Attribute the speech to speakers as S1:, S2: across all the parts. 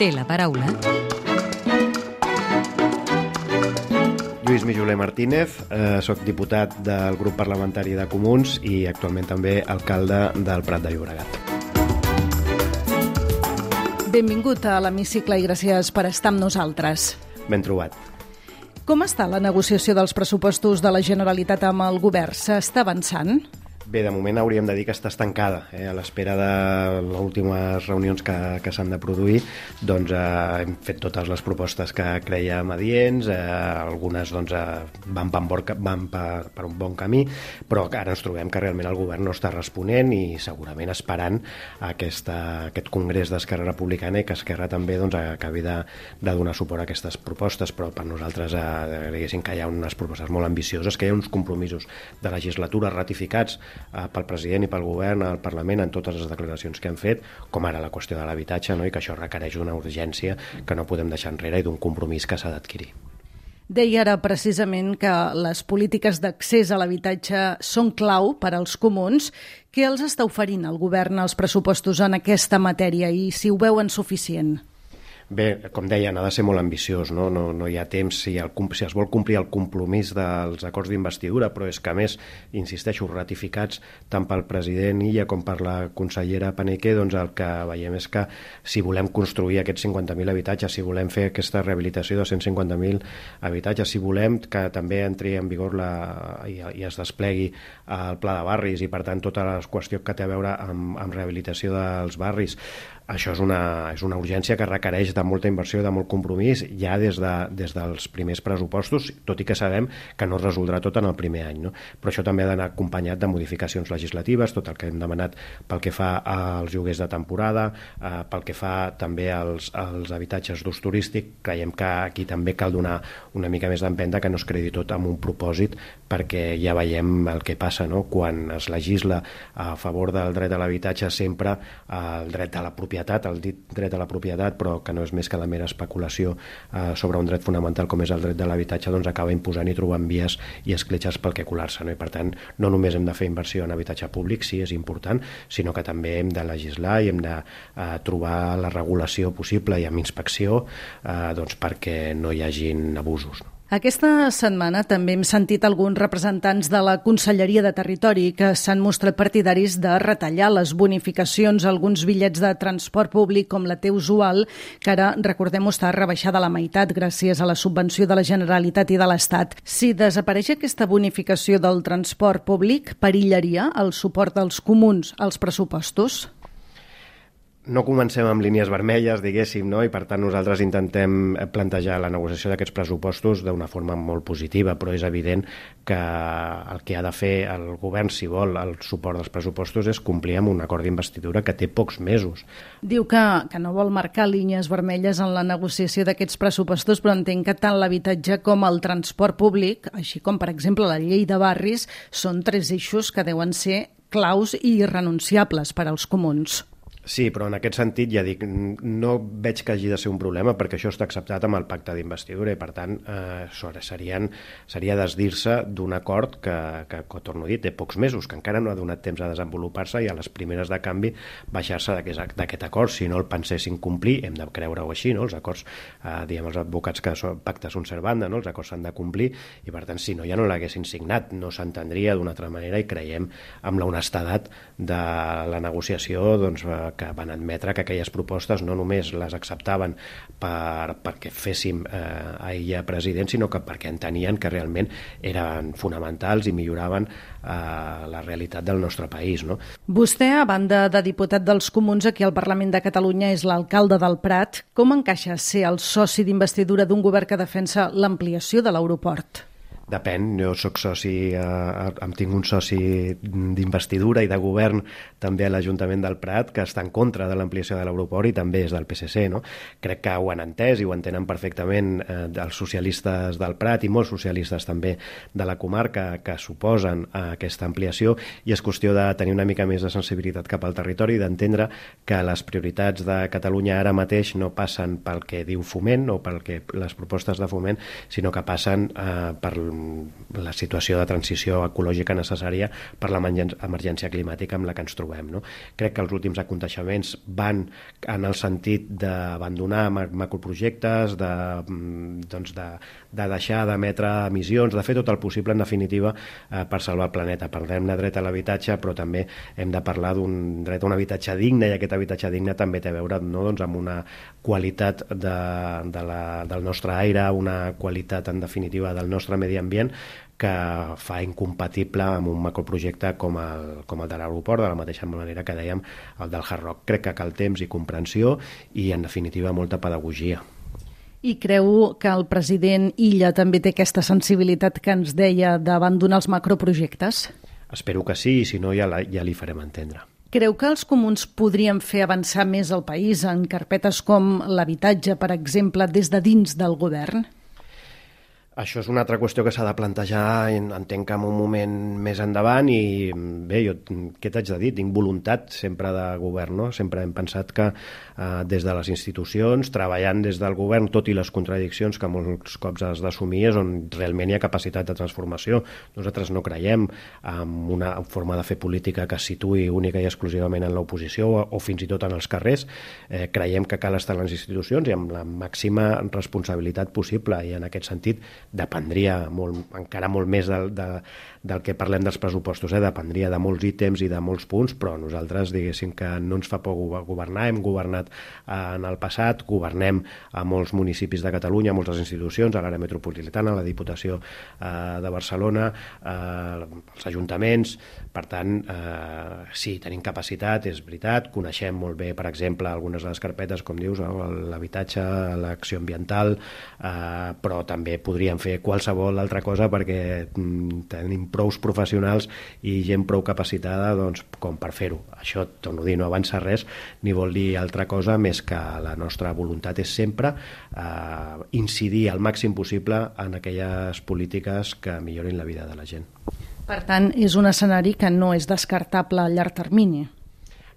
S1: Té la paraula
S2: Lluís Mijoler Martínez, soc diputat del grup parlamentari de Comuns i actualment també alcalde del Prat de Llobregat.
S3: Benvingut a l'Hemicicle i gràcies per estar amb nosaltres.
S2: Ben trobat.
S3: Com està la negociació dels pressupostos de la Generalitat amb el govern? S'està avançant?
S2: Bé, de moment hauríem de dir que està estancada. A l'espera de les últimes reunions que s'han de produir, doncs hem fet totes les propostes que crèiem adients, algunes doncs, van per un bon camí, però ara ens trobem que realment el govern no està responent i segurament esperant aquest congrés d'Esquerra Republicana i que Esquerra també doncs, acabi de donar suport a aquestes propostes, però per nosaltres diguéssim que hi ha unes propostes molt ambicioses, que hi ha uns compromisos de legislatura ratificats pel president i pel govern al Parlament en totes les declaracions que han fet, com ara la qüestió de l'habitatge, no? I que això requereix una urgència que no podem deixar enrere i d'un compromís que s'ha d'adquirir.
S3: Deia ara precisament que les polítiques d'accés a l'habitatge són clau per als comuns. Què els està oferint el govern als pressupostos en aquesta matèria i si ho veuen suficient?
S2: Bé, com deien, ha de ser molt ambiciós, no hi ha temps, si es vol complir el compromís dels acords d'investidura, però és que a més, insisteixo, ratificats tant pel president Illa com per la consellera Paneque, doncs el que veiem és que si volem construir aquests 50.000 habitatges, si volem fer aquesta rehabilitació de 150.000 habitatges, si volem que també entri en vigor i es desplegui el pla de barris i per tant tota la qüestió que té a veure amb rehabilitació dels barris, això és una urgència que requereix de molta inversió i de molt compromís ja des dels primers pressupostos, tot i que sabem que no es resoldrà tot en el primer any, no? Però això també ha d'anar acompanyat de modificacions legislatives, tot el que hem demanat pel que fa als lloguers de temporada, pel que fa també als habitatges d'ús turístic. Creiem que aquí també cal donar una mica més d'empenta, que no es credi tot amb un propòsit, perquè ja veiem el que passa, no? Quan es legisla a favor del dret a l'habitatge, sempre el dret a la propietat, el dit dret a la propietat, però que no és més que la mera especulació sobre un dret fonamental com és el dret de l'habitatge, doncs acaba imposant i trobant vies i escletxes pel que colar-se, no? I per tant, no només hem de fer inversió en habitatge públic, sí, és important, sinó que també hem de legislar i hem de trobar la regulació possible i amb inspecció doncs perquè no hi hagin abusos, no?
S3: Aquesta setmana també hem sentit alguns representants de la Conselleria de Territori que s'han mostrat partidaris de retallar les bonificacions a alguns bitllets de transport públic com la T usual, que ara, recordem-ho, està rebaixada a la meitat gràcies a la subvenció de la Generalitat i de l'Estat. Si desapareix aquesta bonificació del transport públic, perillaria el suport dels comuns als pressupostos?
S2: No comencem amb línies vermelles, diguéssim, no? I per tant nosaltres intentem plantejar la negociació d'aquests pressupostos d'una forma molt positiva, però és evident que el que ha de fer el govern, si vol el suport dels pressupostos, és complir amb un acord d'investidura que té pocs mesos.
S3: Diu que no vol marcar línies vermelles en la negociació d'aquests pressupostos, però entenc que tant l'habitatge com el transport públic, així com per exemple la llei de barris, són tres eixos que deuen ser claus i irrenunciables per als comuns.
S2: Sí, però en aquest sentit, ja dic, no veig que hagi de ser un problema perquè això està acceptat amb el pacte d'investidura i, per tant, seria desdir-se d'un acord que, torno a dir, té pocs mesos, que encara no ha donat temps a desenvolupar-se i a les primeres de canvi baixar-se d'aquest acord. Si no el pensessin complir, hem de creure-ho així, no? Els acords, diguem els advocats que són pactes són servanda, no? Els acords s'han de complir i, per tant, si no, ja no l'haguessin signat, no s'entendria d'una altra manera i creiem amb la honestedat de la negociació, doncs, que van admetre que aquelles propostes no només les acceptaven perquè féssim a ella president, sinó que perquè entenien que realment eren fonamentals i milloraven la realitat del nostre país, no?
S3: Vostè, a banda de diputat dels Comuns aquí al Parlament de Catalunya, és l'alcalde del Prat. Com encaixa ser el soci d'investidura d'un govern que defensa l'ampliació de l'aeroport?
S2: Depèn, jo soc soci, em tinc un soci d'investidura i de govern també a l'Ajuntament del Prat que està en contra de l'ampliació de l'aeroport i també és del PSC, no? Crec que ho han entès i ho entenen perfectament els socialistes del Prat i molts socialistes també de la comarca que suposen aquesta ampliació i és qüestió de tenir una mica més de sensibilitat cap al territori i d'entendre que les prioritats de Catalunya ara mateix no passen pel que diu Foment o pel que les propostes de Foment, sinó que passen per la situació de transició ecològica necessària per l'emergència climàtica amb la que ens trobem, no? Crec que els últims aconteixements van en el sentit d'abandonar macroprojectes, de deixar d'emetre emissions, de fer tot el possible, en definitiva, per salvar el planeta. Parlem de dret a l'habitatge, però també hem de parlar d'un dret a un habitatge digne, i aquest habitatge digne també té a veure, no, doncs, amb una qualitat del nostre aire, una qualitat, en definitiva, del nostre medi ambient, que fa incompatible amb un macroprojecte com el de l'aeroport, de la mateixa manera que dèiem el del Hard Rock. Crec que cal temps i comprensió i, en definitiva, molta pedagogia.
S3: I creu que el president Illa també té aquesta sensibilitat que ens deia d'abandonar els macroprojectes?
S2: Espero que sí, i si no ja li farem entendre.
S3: Creu que els comuns podrien fer avançar més el país en carpetes com l'habitatge, per exemple, des de dins del govern?
S2: Això és una altra qüestió que s'ha de plantejar, entenc que en un moment més endavant, i bé, jo què t'haig de dir? Tinc voluntat sempre de govern, no? Sempre hem pensat que des de les institucions, treballant des del govern, tot i les contradiccions que molts cops has d'assumir, és on realment hi ha capacitat de transformació. Nosaltres no creiem en una forma de fer política que es situï única i exclusivament en l'oposició o fins i tot en els carrers. Creiem que cal estar en les institucions i amb la màxima responsabilitat possible, i en aquest sentit dependria encara molt més del que parlem dels pressupostos, dependria de molts ítems i de molts punts, però nosaltres, diguéssim, que no ens fa por governar, hem governat en el passat, governem a molts municipis de Catalunya, a moltes institucions, a l'àrea metropolitana, a la Diputació de Barcelona, als ajuntaments. Per tant, sí, tenim capacitat, és veritat, coneixem molt bé, per exemple, algunes de les carpetes, com dius, l'habitatge, l'acció ambiental, però també podríem fer qualsevol altra cosa, perquè tenim prous professionals i gent prou capacitada, doncs, com per fer-ho. Això, torno a dir, no avança res ni vol dir altra cosa més que la nostra voluntat és sempre incidir al màxim possible en aquelles polítiques que millorin la vida de la gent.
S3: Per tant, és un escenari que no és descartable a llarg termini.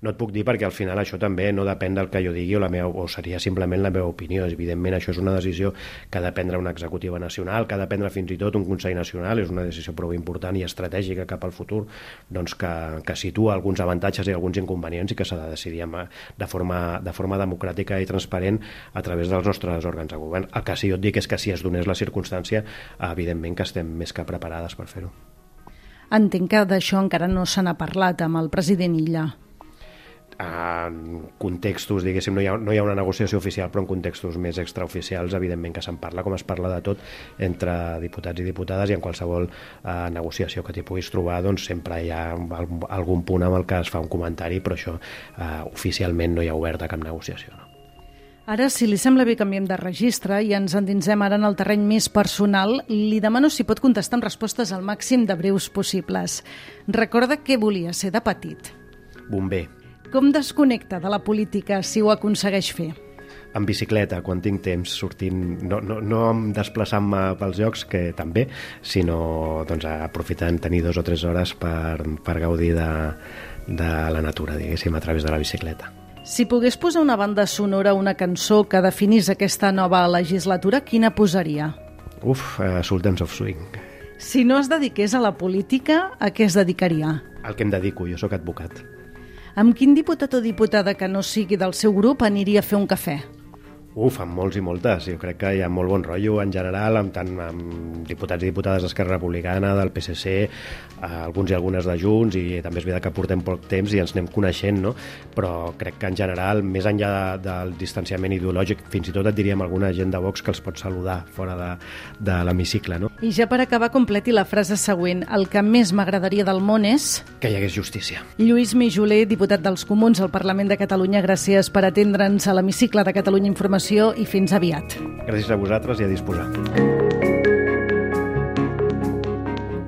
S2: No et puc dir, perquè al final això també no depèn del que jo digui o seria simplement la meva opinió. Evidentment, això és una decisió que ha de prendre una executiva nacional, que ha de prendre fins i tot un Consell Nacional. És una decisió prou important i estratègica cap al futur, doncs que situa alguns avantatges i alguns inconvenients, i que s'ha de decidir de forma democràtica i transparent a través dels nostres òrgans de govern. El que sí jo et dic és que si es donés la circumstància, evidentment que estem més que preparades per fer-ho.
S3: Entenc que d'això encara no se n'ha parlat amb el president Illa.
S2: En contextos, diguéssim, no hi ha una negociació oficial, però en contextos més extraoficials, evidentment que se'n parla, com es parla de tot entre diputats i diputades, i en qualsevol negociació que t'hi puguis trobar, doncs sempre hi ha algun punt amb el que es fa un comentari, però això oficialment no hi ha oberta cap negociació. No?
S3: Ara, si li sembla bé, canviem de registre i ens endinsem ara en el terreny més personal. Li demano si pot contestar amb respostes al màxim de breus possibles. Recorda què volia ser de petit?
S2: Bomber.
S3: Com desconnecta de la política si ho aconsegueix fer?
S2: En bicicleta, quan tinc temps, sortint, no desplaçant-me pels llocs, que també, sinó doncs, aprofitant tenir 2 o 3 hores per gaudir de la natura, diguéssim, a través de la bicicleta.
S3: Si pogués posar una banda sonora, una cançó que definís aquesta nova legislatura, quina posaria?
S2: Sultans of Swing.
S3: Si no es dediqués a la política, a què es dedicaria?
S2: Al que em dedico, jo sóc advocat.
S3: Amb quin diputat o diputada que no sigui del seu grup aniria a fer un cafè?
S2: Amb molts i moltes. Jo crec que hi ha molt bon rotllo en general, tant amb diputats i diputades d'Esquerra Republicana, del PSC, alguns i algunes de Junts, i també és veritat que portem poc temps i ens anem coneixent, no? Però crec que en general, més enllà del distanciament ideològic, fins i tot et diríem alguna gent de Vox que els pot saludar fora de l'hemicicle, no?
S3: I ja per acabar, completi la frase següent. El que més m'agradaria del món és...
S2: que hi hagués justícia.
S3: Lluís Mijoler, diputat dels Comuns al Parlament de Catalunya, gràcies per atendre'ns a l'hemicicle de Catalunya Informació i fins aviat.
S2: Gràcies a vosaltres i a disposar.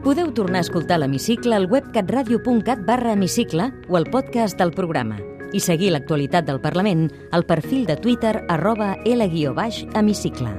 S1: Podeu tornar a escoltar l'hemicicle al web catradio.cat/hemicicle o al podcast del programa i seguir l'actualitat del Parlament al perfil de Twitter @L_hemicicle.